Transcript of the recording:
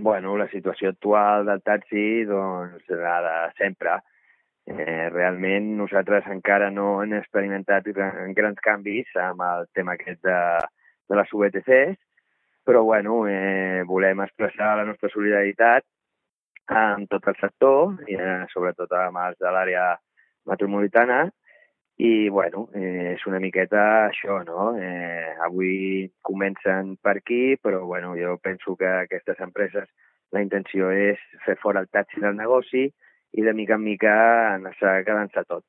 Bueno, la situació actual del taxi, doncs, la de sempre. Realment nosaltres encara no hem experimentat grans canvis amb el tema aquest de les VTCs, però bueno, volem expressar la nostra solidaritat amb tot el sector, sobretot amb els de l'àrea metropolitana, i bueno, és una miqueta això, no? Avui comencen per aquí, però bueno, jo penso que aquestes empreses la intenció és fer fora el taxi del negoci i de mica en mica anar-se quedant-se tot.